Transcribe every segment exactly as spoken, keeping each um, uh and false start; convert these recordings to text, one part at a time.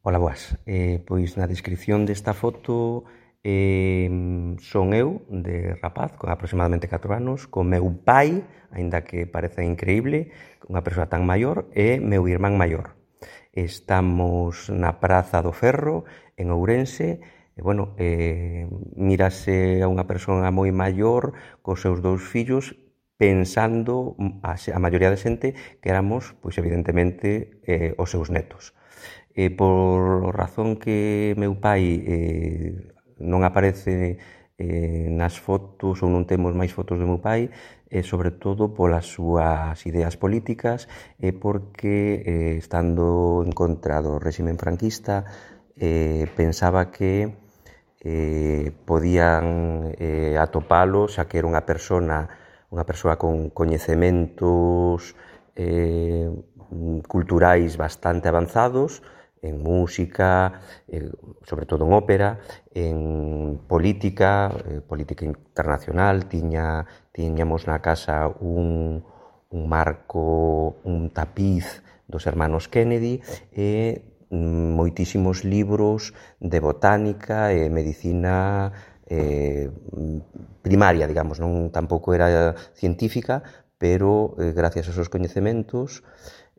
Ola, boas. Eh, pois na descripción desta foto eh, son eu, de rapaz, con aproximadamente catro anos, con meu pai, aínda que parece increíble, unha persoa tan maior, e meu irmán maior. Estamos na Praza do Ferro, en Ourense, e, bueno, eh, mírase a unha persoa moi maior cos seus dous fillos, pensando a, a maioría de xente que éramos, pois evidentemente, eh, os seus netos. Eh, por razón que meu pai eh, non aparece eh, nas fotos, ou non temos máis fotos do meu pai, e eh, sobre todo polas súas ideas políticas e eh, porque eh, estando en contra do réximen franquista eh, pensaba que eh, podían eh, atopalo, xa que era unha persona unha persoa con coñecementos eh, culturais bastante avanzados en música, eh, sobre todo en ópera, en política, eh, política internacional. Tiña, tiñamos na casa un, un marco, un tapiz dos hermanos Kennedy e moitísimos libros de botánica e medicina eh, primaria, digamos, non tampouco era científica, pero eh, gracias aos seus coñecementos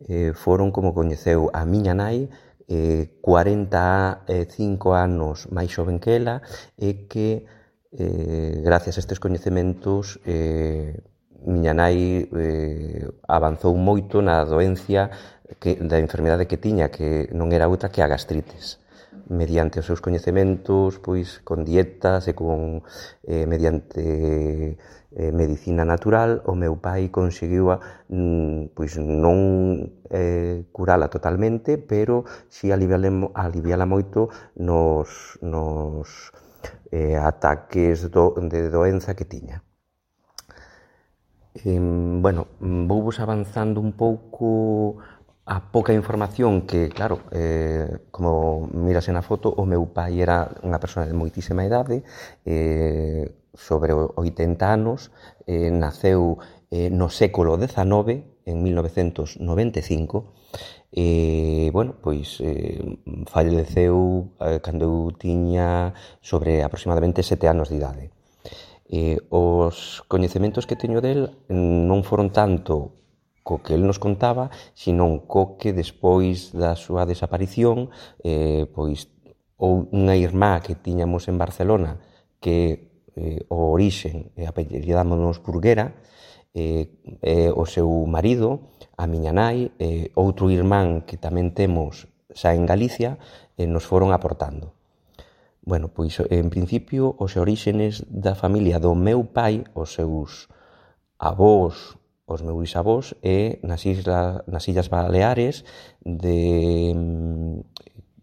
eh, foron como coñeceu a miña nai, eh, cuarenta e cinco anos máis xoven que ela, e que eh, gracias a estes coñecementos eh, miña nai eh, avanzou moito na doencia que, da enfermidade que tiña, que non era outra que a gastritis. Mediante os seus coñecementos, pois con dietas e con eh, mediante eh, medicina natural, o meu pai conseguiu mm, pois non eh, curala totalmente, pero si aliviala moito nos, nos eh, ataques do, de doenza que tiña. Eh, bueno, vou vos avanzando un pouco a pouca información que, claro, eh, como mirase na foto, o meu pai era unha persoa de moitísima idade, eh, sobre oitenta anos, eh, naceu eh, no século dezanove, en mil novecentos noventa e cinco, e, bueno, pois eh, faleceu eh, cando eu tiña sobre aproximadamente sete anos de idade. Eh, os coñecementos que teño del non foron tanto co que el nos contaba, sino co que despois da súa desaparición, eh, pois ou unha irmá que tiñamos en Barcelona, que eh, o orixen e apellidámonos Burguera, eh, eh, o seu marido, a miña nai, eh, outro irmán que tamén temos xa en Galicia, eh, nos foron aportando. Bueno, pois, en principio, os oríxenes da familia do meu pai, os seus avós, os meus bisavós, é nas, isla, nas Illas Baleares, de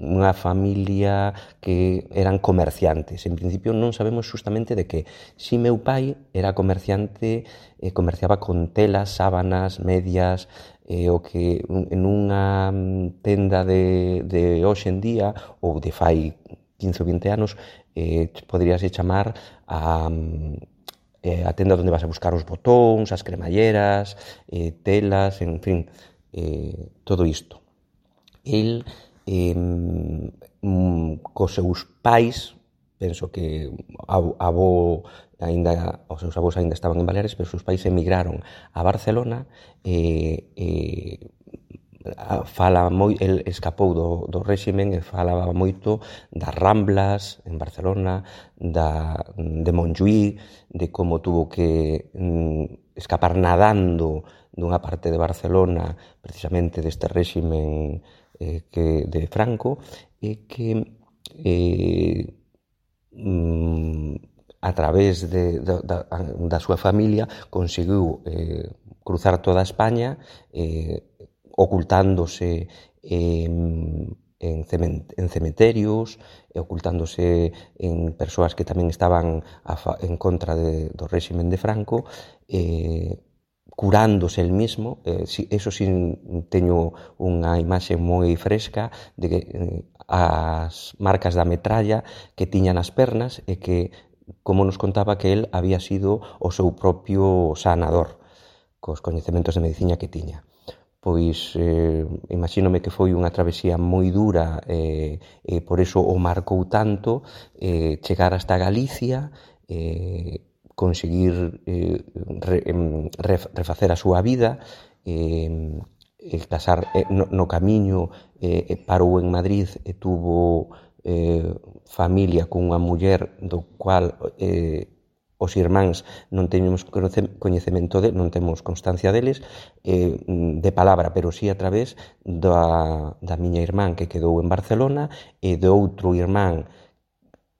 unha familia que eran comerciantes. En principio non sabemos justamente de que. Si meu pai era comerciante, eh, comerciaba con telas, sábanas, medias, eh, o que en unha tenda de, de hoxe en día, ou de fai quince ou vinte anos, eh, poderíase chamar a, eh, a tenda onde vas a buscar os botóns, as cremalleras, eh, telas, en fin, eh, todo isto. El, eh, mm, cos seus pais, penso que a, a avó ainda, os seus avós ainda estaban en Baleares, pero os seus pais emigraron a Barcelona e eh, fala moi, el escapou do, do réximen e falaba moito das Ramblas en Barcelona, da, de Montjuïc, de como tuvo que mm, escapar nadando dunha parte de Barcelona precisamente deste réximen eh, que, de Franco, e que eh, mm, a través de, de, da, da súa familia conseguiu eh, cruzar toda España, eh, ocultándose en, en, cement, en cementerios, ocultándose en persoas que tamén estaban a fa, en contra de, do réximen de Franco, eh, curándose el mismo. Eh, si, eso si teño unha imaxe moi fresca de que eh, as marcas da metralla que tiña nas pernas e que, como nos contaba, que el había sido o seu propio sanador cos coñecementos de medicina que tiña. pois eh, imagínome que foi unha travesía moi dura e, e por eso o marcou tanto eh, chegar hasta Galicia, eh, conseguir eh, re, re, refacer a súa vida, eh, eh, casar eh, no, no camiño, eh, parou en Madrid e tuvo eh, familia con unha muller do cual eh, os irmáns non teñemos coñecemento de, non temos constancia deles eh, de palabra, pero sí a través da, da miña irmán que quedou en Barcelona e do outro irmán,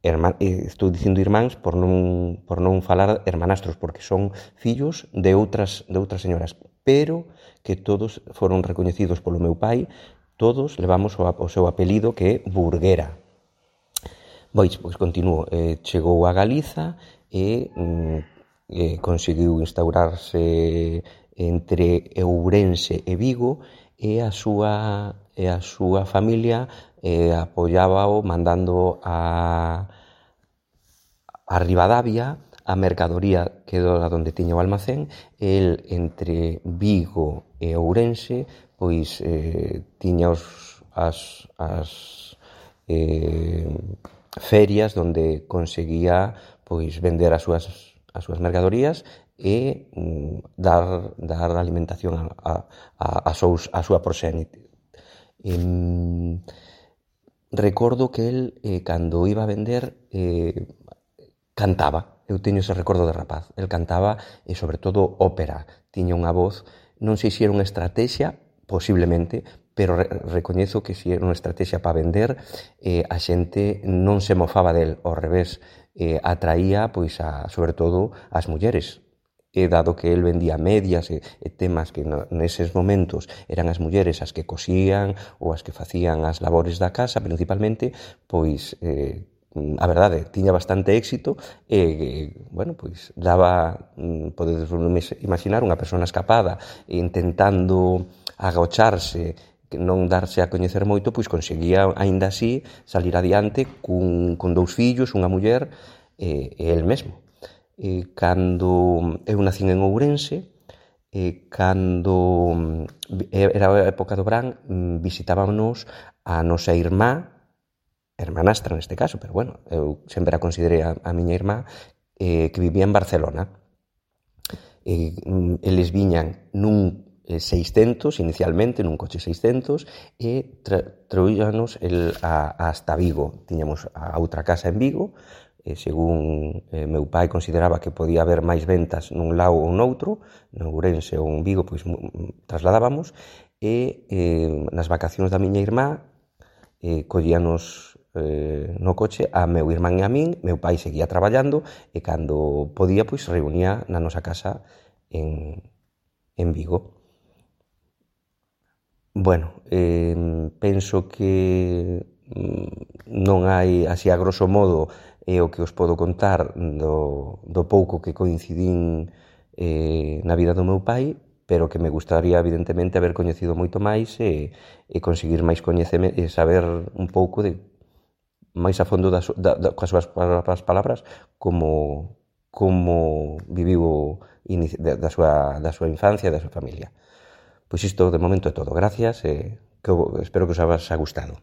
irmán estou dicindo irmáns por non, por non falar hermanastros, porque son fillos de outras, de outras señoras, pero que todos foron recoñecidos polo meu pai, todos levamos o, o seu apelido que é Burguera. Pois, pois continuo, eh, chegou a Galiza e eh, conseguiu instaurarse entre Ourense e Vigo e a súa, e a súa familia eh, apoiábao mandando a, a Ribadavia a mercadoría que era onde tiña o almacén. El entre Vigo e Ourense pois eh, tiña os, as, as eh, ferias onde conseguía pois vender as súas, as súas mercadorías e mm, dar, dar alimentación a, a, a, a, sous, a súa proxénite. E, recordo que el, eh, cando iba a vender, eh, cantaba. Eu teño ese recordo de rapaz. El cantaba, e sobre todo ópera. Tiña unha voz, non sei se era unha estrategia, posiblemente, pero re, recoñezo que se era unha estrategia para vender, eh, a xente non se mofaba del, ao revés, eh, atraía, pois, a, sobre todo, as mulleres. E dado que el vendía medias e, e temas que no, neses momentos eran as mulleres as que cosían ou as que facían as labores da casa, principalmente, pois, eh, a verdade, tiña bastante éxito e, bueno, pois, daba, podedes imaginar, unha persona escapada intentando agocharse, non darse a coñecer moito, pois conseguía, aínda así, salir adiante cun, con dous fillos, unha muller e, e el mesmo. E cando eu nacín en Ourense, e cando era a época do verán, visitábamos a nosa irmá, hermanastra neste caso, pero bueno, eu sempre a considerei a, a miña irmá, eh, que vivía en Barcelona. E, eles viñan nun seiscentos, inicialmente, nun coche seiscentos, e tra, traíanos el a, hasta Vigo. Tiñamos a outra casa en Vigo, e según eh, meu pai consideraba que podía haber máis ventas nun lado ou noutro, no Ourense ou en Vigo, pois trasladábamos, e eh, nas vacacións da miña irmá, eh, collíanos eh, no coche a meu irmán e a min, meu pai seguía traballando, e cando podía, pois reunía na nosa casa en, en Vigo. Bueno, eh, penso que non hai, así a grosso modo, é o que os podo contar do, do pouco que coincidín eh, na vida do meu pai, pero que me gustaría, evidentemente, haber coñecido moito máis e, e conseguir máis coñecemento e saber un pouco de máis a fondo das, da, da, coas súas palabras como, como viviu da, da, súa, da súa infancia e da súa familia. Pois isto de momento é todo. Gracias e que, espero que os haxa gustado.